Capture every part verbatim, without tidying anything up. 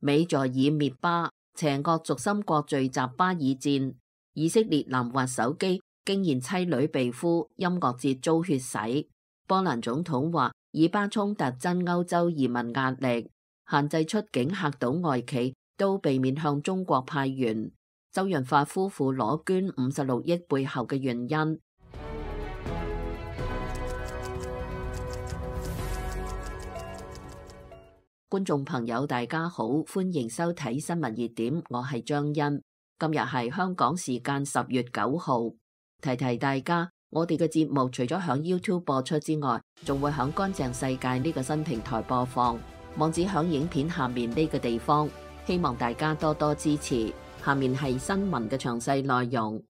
美在以滅巴，邪惡軸心國聚集巴以戰。以色列男滑手機竟然妻女被俘，音樂節遭血洗。波蘭總統話以巴衝突增歐洲移民壓力，限制出境嚇到外企，都避免向中國派員。周潤發夫婦裸捐五十六億背後嘅原因。觀眾朋友大家好，歡迎收睇新聞熱點，我係張欣。今日係香港時間十月九號，提提大家，我哋嘅節目除咗響 YouTube 播出之外，仲會響乾淨世界呢個新平台播放，網址響影片下面呢個地方，希望大家多多支持。下面係新聞嘅詳細內容。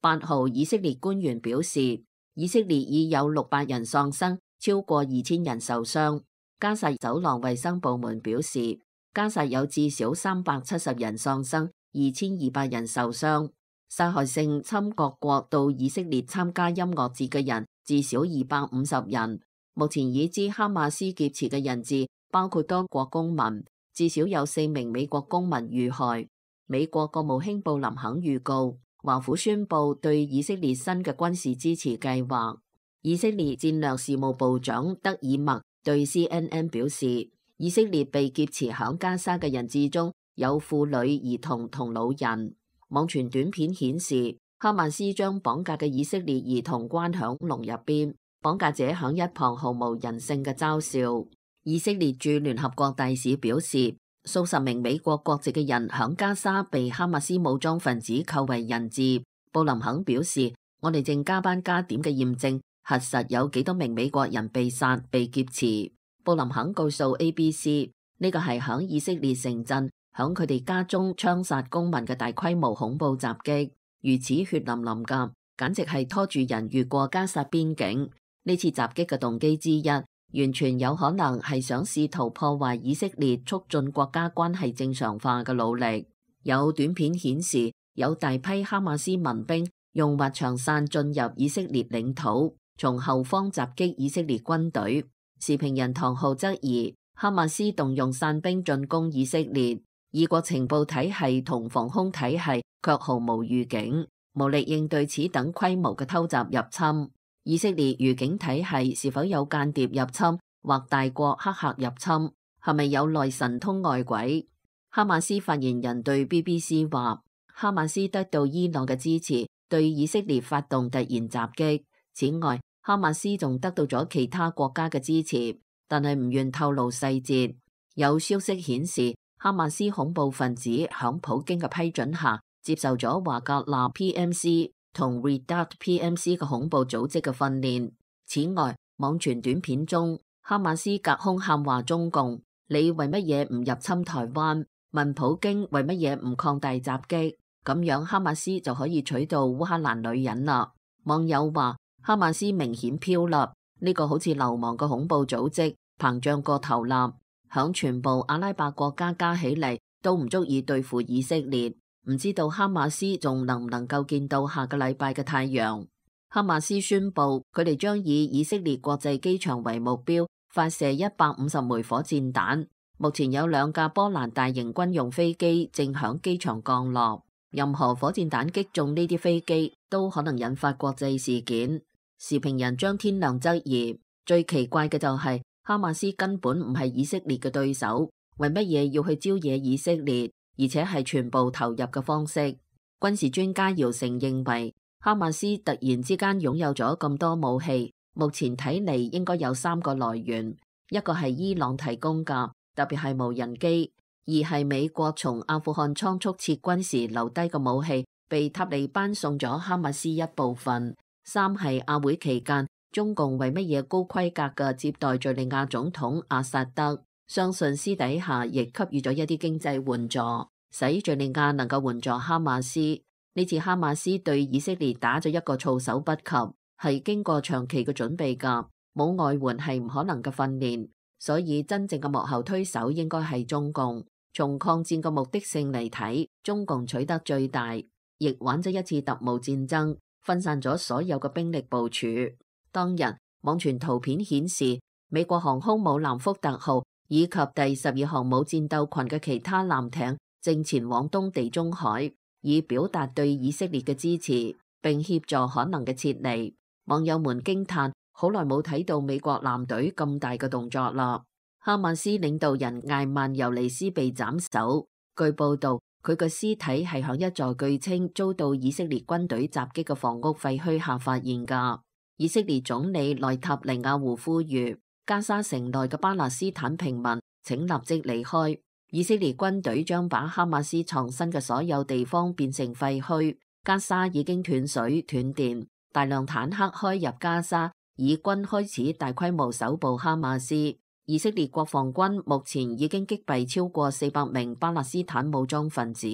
八號，以色列官員表示，以色列已有六百人喪生，超過二千人受傷。加薩走廊衛生部門表示，加薩有至少三百七十人喪生，二千二百人受傷。殺害性侵各國到以色列參加音樂節嘅人至少二百五十人。目前已知哈馬斯劫持嘅人質包括多國公民，至少有四名美國公民遇害。美國國務卿布林肯預告，華府宣布對以色列新嘅軍事支持計劃。以色列戰略事務部長德爾默對 C N N 表示，以色列被劫持響加沙嘅人質中有婦女、兒童同老人。網傳短片顯示，哈馬斯將綁架嘅以色列兒童關響籠入邊，綁架者響一旁毫無人性嘅嘲笑。以色列駐聯合國大使表示，數十名美國國籍嘅人響加沙被哈馬斯武裝分子扣為人質。布林肯表示，我哋正加班加點嘅驗證核實有幾多名美國人被殺被劫持。布林肯告訴 A B C， 呢個係響以色列城鎮響佢哋家中槍殺公民嘅大規模恐怖襲擊，如此血淋淋噶，簡直係拖住人越過加薩邊境。呢次襲擊嘅動機之一，完全有可能係想試圖破壞以色列促進國家關係正常化嘅努力。有短片顯示，有大批哈馬斯民兵用滑翔傘進入以色列領土，從後方襲擊以色列軍隊。時評人唐浩質疑，哈馬斯動用傘兵進攻以色列，以國情報體系同防空體系卻毫無預警，無力應對此等規模嘅偷襲入侵。以色列預警體系是否有間諜入侵或大國黑客入侵？係咪有內神通外鬼？哈馬斯發言人對 B B C 話，哈馬斯得到伊朗嘅支持，對以色列發動突然襲擊。此外，哈馬斯仲得到咗其他國家嘅支持，但係唔願透露細節。有消息顯示，哈馬斯恐怖分子響普京嘅批准下，接受咗華格納 P M C 同 Redoubt P M C 嘅恐怖組織嘅訓練。此外，網傳短片中，哈馬斯隔空喊話中共：你為乜嘢唔入侵台灣？問普京為乜嘢唔擴大襲擊？咁樣哈馬斯就可以取到烏克蘭女人啦。網友話，哈馬斯明顯飄立，呢個好似流氓嘅恐怖組織，膨脹過頭啦。響全部阿拉伯國家加起嚟都唔足以對付以色列，唔知道哈馬斯仲能唔能夠見到下個禮拜嘅太陽。哈馬斯宣布佢哋將以以色列國際機場為目標，發射一百五十枚火箭彈。目前有兩架波蘭大型軍用飛機正響機場降落，任何火箭彈擊中呢啲飛機都可能引發國際事件。時評人張天亮質疑，最奇怪嘅就係、是、哈馬斯根本唔係以色列嘅對手，為乜嘢要去招惹以色列，而且係全部投入嘅方式。軍事專家姚成認為，哈馬斯突然之間擁有咗咁多武器，目前睇嚟應該有三個來源，一個係伊朗提供㗎，特別係無人機；二係美國從阿富汗倉促撤軍時留低嘅武器，被塔利班送咗哈馬斯一部分；三係亞會期間，中共為乜嘢高規格嘅接待敘利亞總統阿薩德，相信私底下亦給予咗一啲經濟援助，使敘利亞能夠援助哈馬斯。呢次哈馬斯對以色列打咗一個措手不及，係經過長期嘅準備㗎，冇外援係唔可能嘅訓練，所以真正嘅幕後推手應該係中共。從抗戰嘅目的性嚟睇，中共取得最大，亦玩咗一次特務戰爭，分散咗所有嘅兵力部署。當日網傳圖片顯示，美國航空母艦福特號以及第十二航母戰鬥群嘅其他艦艇正前往東地中海，以表達對以色列嘅支持，並協助可能嘅撤離。網友們驚嘆：好耐冇睇到美國艦隊咁大嘅動作啦！哈馬斯領導人艾曼尤尼斯被斬首，據報道佢嘅屍體係響一座據稱遭到以色列軍隊襲擊嘅房屋廢墟下發現㗎。以色列總理內塔尼亞胡呼籲加沙城內嘅巴勒斯坦平民請立即離開。以色列軍隊將把哈馬斯藏身嘅所有地方變成廢墟。加沙已經斷水斷電，大量坦克開入加沙，以軍開始大規模搜捕哈馬斯。以色列國防軍目前已經擊斃超過四百名巴勒斯坦武裝分子。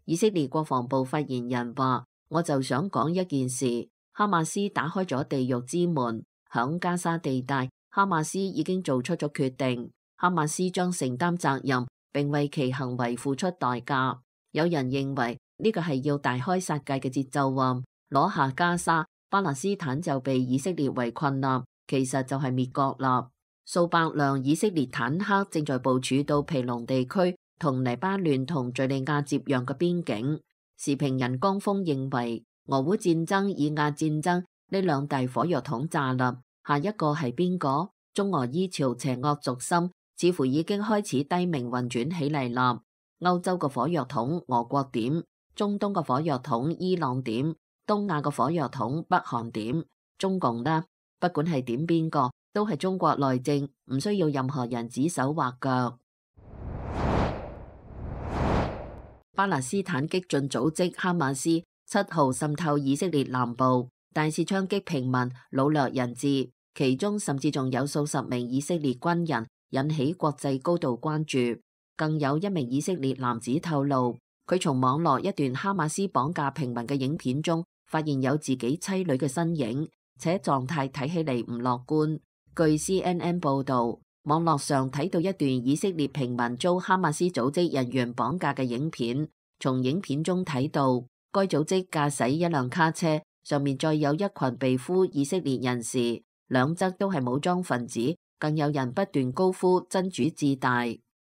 以色列國防部發言人話：我就想講一件事，哈馬斯打開咗地獄之門，響加沙地帶，哈馬斯已經做出咗決定，哈馬斯將承擔責任，並為其行為付出代價。有人認為呢個係要大開殺戒嘅節奏啊，攞下加沙，巴勒斯坦就被以色列圍困啦，其實就係滅國啦。數百輛以色列坦克正在部署到皮隆地區同黎巴嫩同敘利亞接壤嘅邊境。時評人江峰認為，俄烏戰爭、以亞戰爭呢兩大火藥桶炸啦，下一個係邊個？中俄伊朝邪惡軸心似乎已經開始低迷運轉起嚟啦。歐洲嘅火藥桶俄國點？中東嘅火藥桶伊朗點？東亞嘅火藥桶北韓點？中共呢？不管係點邊個，都係中國內政，唔需要任何人指手畫腳。巴勒斯坦激進組織哈馬斯七號滲透以色列南部，大肆槍擊平民，擄掠人質，其中甚至仲有數十名以色列軍人，引起國際高度關注。更有一名以色列男子透露，佢從網絡一段哈馬斯綁架平民嘅影片中，發現有自己妻女嘅身影，且狀態睇起嚟唔樂觀。據 C N N 報導，網絡上睇到一段以色列平民遭哈馬斯組織人員綁架嘅影片。從影片中睇到，該組織駕駛一輛卡車，上面載有一群被俘以色列人士，兩側都係武裝分子，更有人不斷高呼真主至大。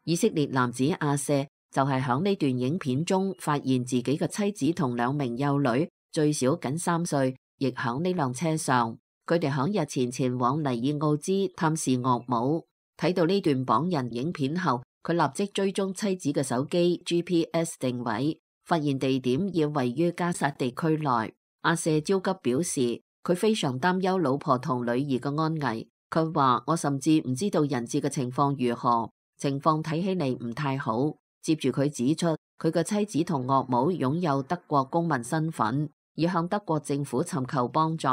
以色列男子阿舍就係響呢段影片中發現自己嘅妻子同兩名幼女，最少僅三歲，亦響呢輛車上。佢哋響日前前往尼爾奧茲探視岳母。睇到呢段綁人影片後，佢立即追蹤妻子嘅手機 G P S 定位，發現地點已位於加沙地區內。阿舍焦急表示，佢非常擔憂老婆同女兒嘅安危。佢話：我甚至唔知道人質嘅情況如何，情況睇起嚟唔太好。接住佢指出，佢嘅妻子同岳母擁有德國公民身份，已向德國政府尋求幫助。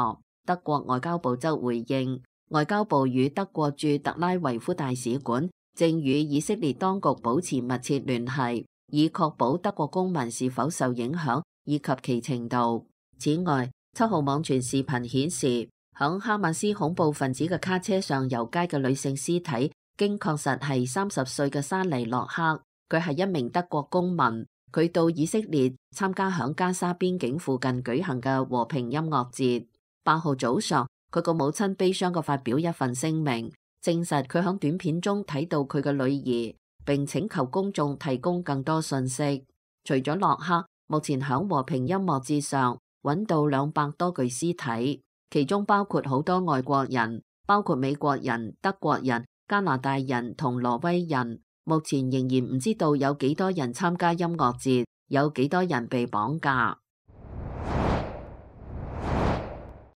德國外交部則回應，外交部與德國駐特拉維夫大使館正與以色列當局保持密切聯繫，以確保德國公民是否受影響以及其程度。此外，七號網傳視頻顯示，響哈馬斯恐怖分子嘅卡車上遊街嘅女性屍體，經確實係三十歲嘅沙尼洛克，佢係一名德國公民，佢到以色列參加響加沙邊境附近舉行嘅和平音樂節。八號早上，佢個母親悲傷嘅發表一份聲明，證實佢響短片中睇到佢嘅女兒，並請求公眾提供更多信息。除咗洛克，目前響和平音樂節上揾到兩百多具屍體，其中包括好多外國人，包括美國人、德國人、加拿大人同挪威人。目前仍然唔知道有幾多人參加音樂節，有幾多人被綁架。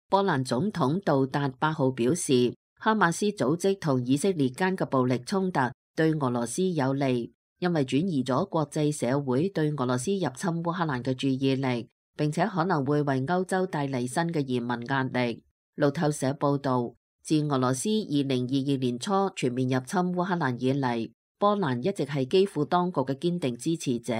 波蘭總統杜達八號表示，哈馬斯組織同以色列間嘅暴力衝突對俄羅斯有利，因為轉移咗國際社會對俄羅斯入侵烏克蘭嘅注意力，並且可能會為歐洲帶嚟新嘅移民壓力。路透社報道，自俄羅斯二零二二年初全面入侵烏克蘭以嚟，波蘭一直係基輔當局嘅堅定支持者，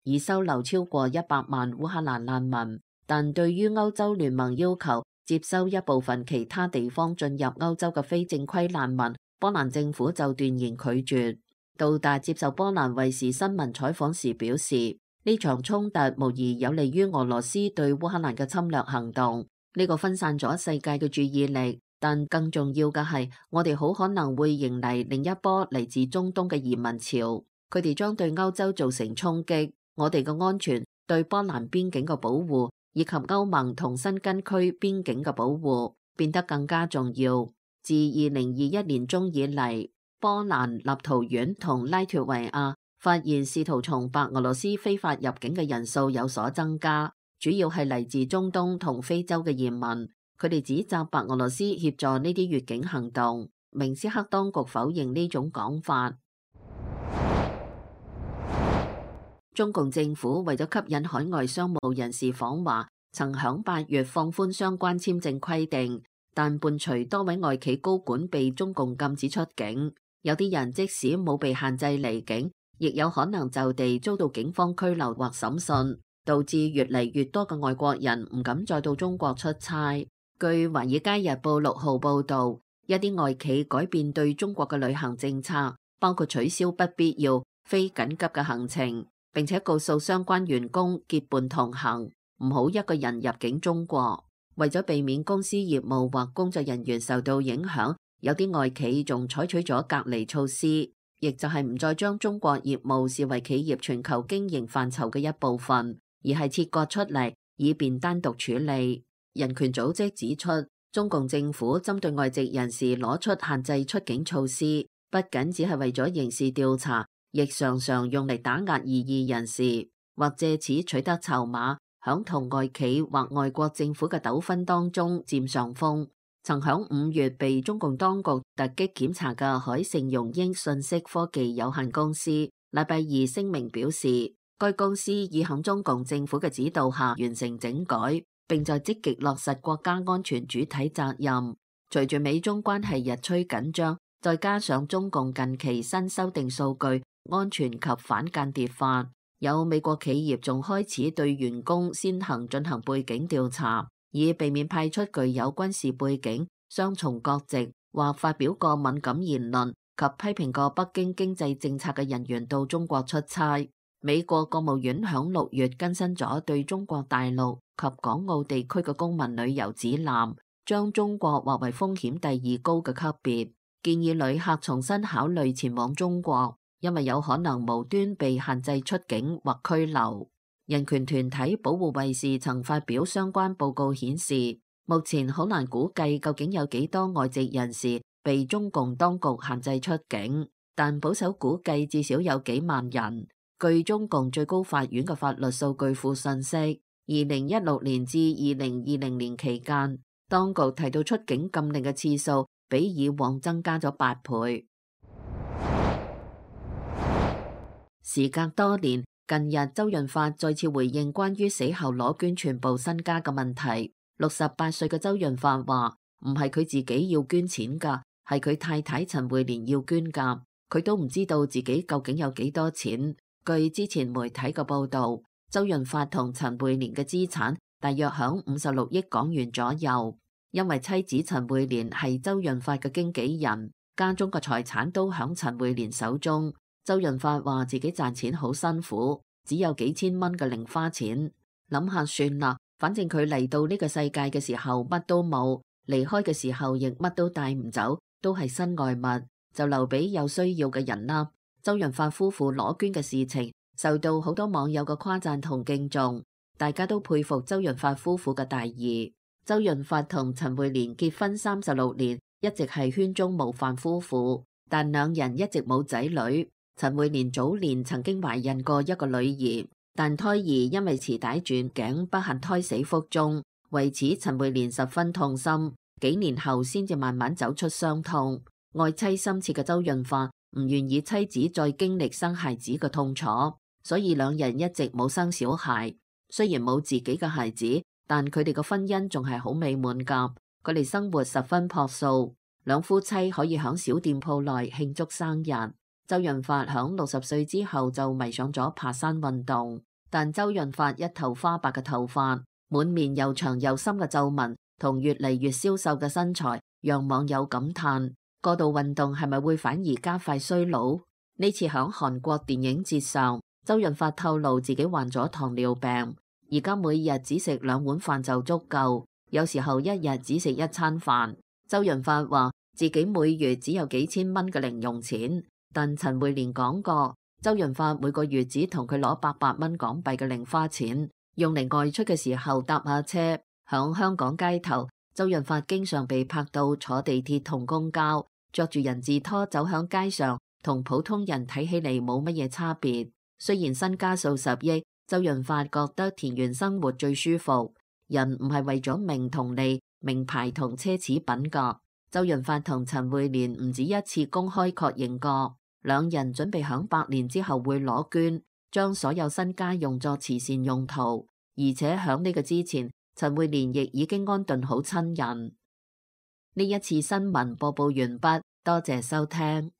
已收留超過一百萬烏克蘭難民。但對於歐洲聯盟要求接收一部分其他地方進入歐洲嘅非正規難民，波蘭政府就斷然拒絕。杜達接受波蘭衛視新聞採訪時表示，呢場衝突無疑有利於俄羅斯對烏克蘭嘅侵略行動，呢個分散咗世界嘅注意力，但更重要嘅係，我哋好可能會迎嚟另一波嚟自中東嘅移民潮，佢哋將對歐洲造成衝擊。我哋嘅安全、對波蘭邊境嘅保護，以及歐盟同申根區邊境嘅保護變得更加重要。自二零二一年中以嚟，波蘭、立陶宛同拉脫維亞發現試圖從白俄羅斯非法入境嘅人數有所增加，主要係嚟自中東同非洲嘅移民。佢哋指責白俄羅斯協助呢啲越境行動。明斯克當局否認呢種講法。中共政府為咗吸引海外商務人士訪華，曾響八月放寬相關簽證規定，但伴隨多位外企高管被中共禁止出境。有啲人即使冇被限制離境，亦有可能就地遭到警方拘留或審訊，導致越嚟越多嘅外國人唔敢再到中國出差。據《華爾街日報》六號報導，一啲外企改變對中國嘅旅行政策，包括取消不必要、非緊急嘅行程，並且告訴相關員工結伴同行，唔好一個人入境中國。為咗避免公司業務或工作人員受到影響，有啲外企仲採取咗隔離措施，亦就係唔再將中國業務視為企業全球經營範疇嘅一部分，而係切割出嚟，以便單獨處理。人權組織指出，中共政府針對外籍人士攞出限制出境措施，不僅只係為咗刑事調查，亦常常用嚟打壓異議人士，或借此取得籌碼，響同外企或外國政府嘅糾紛當中佔上風。曾響五月被中共當局突擊檢查嘅海盛融英信息科技有限公司，禮拜二聲明表示，該公司已響中共政府嘅指導下完成整改，並在積極落實國家安全主體責任。隨住美中關係日趨緊張，再加上中共近期新修訂數據安全及反間諜法，有美國企業仲開始對員工先行進行背景調查，以避免派出具有軍事背景、雙重國籍或發表過敏感言論及批評過北京經濟政策嘅人員到中國出差。美國國務院響六月更新咗對中國大陸及港澳地區嘅公民旅遊指南，將中國劃為風險第二高嘅級別，建議旅客重新考慮前往中國，因為有可能無端被限制出境或拘留。人權團體保護衛士曾發表相關報告顯示，目前好難估計究竟有幾多外籍人士被中共當局限制出境，但保守估計至少有幾萬人。據中共最高法院嘅法律數據庫信息，二零一六年至二零二零年期間，當局提到出境禁令嘅次數比以往增加咗八倍。時隔多年，近日周潤發再次回應關於死後攞捐全部身家嘅問題。六十八歲嘅周潤發話：唔係佢自己要捐錢㗎，係佢太太陳慧蓮要捐㗎，佢都唔知道自己究竟有幾多錢。據之前媒體嘅報導，周潤發同陳慧蓮嘅資產大約響五十六億港元左右。因為妻子陳慧蓮係周潤發嘅經紀人，家中嘅財產都響陳慧蓮手中。周潤發話自己賺錢好辛苦，只有幾千蚊嘅零花錢，諗下算啦，反正佢嚟到呢個世界嘅時候乜都冇，離開嘅時候亦乜都帶唔走，都係身外物，就留俾有需要嘅人啦。周潤發夫婦攞捐嘅事情受到好多網友嘅誇讚同敬重，大家都佩服周潤發夫婦嘅大義。周潤發同陳慧蓮結婚三十六年，一直係圈中模範夫婦，但兩人一直冇仔女。陳慧蓮早年曾經懷孕過一個女兒，但胎兒因為臍帶轉頸不幸胎死腹中，為此陳慧蓮十分痛心，幾年後先至慢慢走出傷痛。愛妻深切嘅周潤發唔願意妻子再經歷生孩子嘅痛楚，所以兩人一直冇生小孩。雖然冇自己嘅孩子，但佢哋嘅婚姻仲係好美滿㗎。佢哋生活十分樸素，兩夫妻可以響小店鋪內慶祝生日。周潤發響六十歲之後就迷上咗爬山運動，但周潤發一頭花白嘅頭髮，滿面又長又深嘅皺紋，同越嚟越消瘦嘅身材，讓網友感嘆：過度運動係咪會反而加快衰老？呢次響韓國電影節上，周潤發透露自己患咗糖尿病，而家每日只食兩碗飯就足夠，有時候一日只食一餐飯。周潤發話自己每月只有幾千蚊嘅零用錢，但陳慧蓮講過，周潤發每個月只同佢攞八百蚊港幣嘅零花錢，用嚟外出嘅時候搭下車。響香港街頭，周潤發經常被拍到坐地鐵同公交，着住人字拖走響街上，同普通人睇起嚟冇乜嘢差別。雖然身家數十億，周潤發覺得田園生活最舒服。人唔係為咗名同利、名牌同奢侈品㗎。周潤發同陳慧蓮唔止一次公開確認過，兩人準備響百年之後會攞捐，將所有身家用作慈善用途。而且響呢個之前，陳慧蓮亦已經安頓好親人。呢一次新聞播報完畢，多謝收聽。